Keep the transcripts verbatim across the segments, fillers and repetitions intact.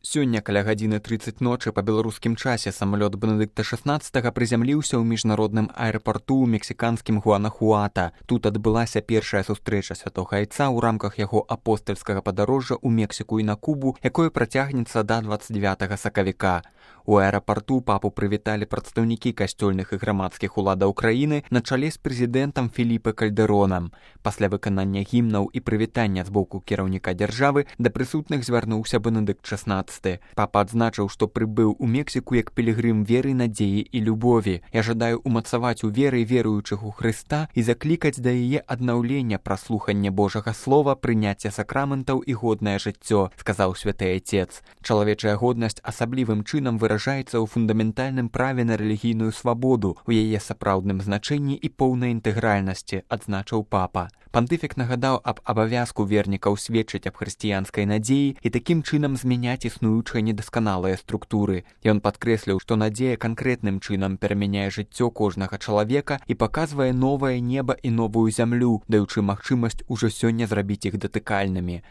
Сёння каля гадзіны трыццаць ночы па беларускім часе самалёт Бенедыкта шаснаццатага прызямліўся ў міжнародным аэрапарту ў мексіканскім Гуанахуата. Тут адбылася першая сустрэча святога айца ў рамках яго апостальскага падарожжа ў Мексіку і на Кубу, якое працягнецца да дваццаць дзевятага сакавіка. У аэрапарту папу прывіталі прадстаўнікі касцёльных і грамадскіх уладаў краіны на чале з прэзідэнтам Феліпе Кальдэронам. Пасля выканання гімнаў і прывітання з боку кіраўніка дзяржавы да прысутных звярнуўся Бенедыкт шаснаццаты. Папа адзначыў, што прыбыў у Мексіку як пілігрым веры, надзеі і любові. Я жадаю умацаваць у веры веруючых у Хрыста і заклікаць да яе аднаўлення праз слуханне Божага слова, прыняцце сакраментаў і годнае жыццё, сказаў святы айцец. Чалавечая годнасць асаблівым чынам выражаецца ў фундаментальным праве на рэлігійную свабоду, у яе сапраўдным значэнні і поўнай інтэгральнасці, адзначыў папа. Пантыфік нагадаў аб абавязку вернікаў сведчыць аб хрысціянскай надзеі і такім чынам змяняць існуючыя недасканалыя структуры. Ён падкрэсліў, што надзея канкрэтным чынам перамяняе жыццё кожнага чалавека і паказвае новае неба і новую зямлю, даючы магчымасць ужо сёння зрабіць іх датыкальнымі.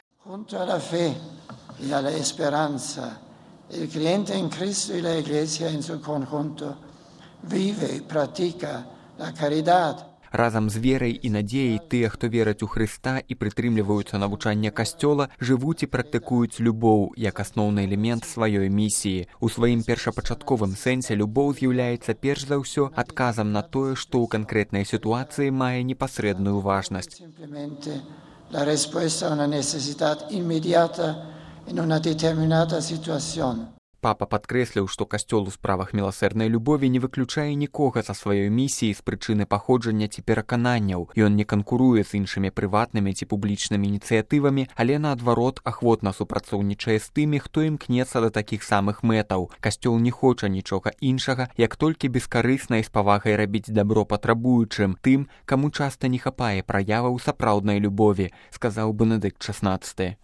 Il cliente in Cristo e la Iglesia in suo conjunto vive e pratica la carità. Разам з верай і надзеяй тыя, хто вераць у Хрыста і прытрымліваюцца навучання Касцёла, жывуць і практыкуюць любоў як асноўны элемент сваёй місіі. У сваім першапачатковым сэнсе любоў з'яўляецца перш за ўсё адказам на тое, што ў канкрэтнай сітуацыі мае непасрэдную важнасць. La respuesta a una necesidad inmediata in una determinata situazione. Папа падкрэсліў, што касцёл у справах міласэрнай любові не выключае нікога са сваёй місіі з прычыны паходжання ці перакананняў. Ён не канкуруе з іншымі прыватнымі ці публічнымі ініцыятывамі, але наадварот ахвотна супрацоўнічае з тымі, хто імкнецца да такіх самых мэтаў. Касцёл не хоча нічога іншага, як толькі бескарысна і з павагай рабіць дабро патрабуючым, тым, каму часта не хапае праяваў сапраўднай любові, сказаў Бенедыкт шаснаццаты.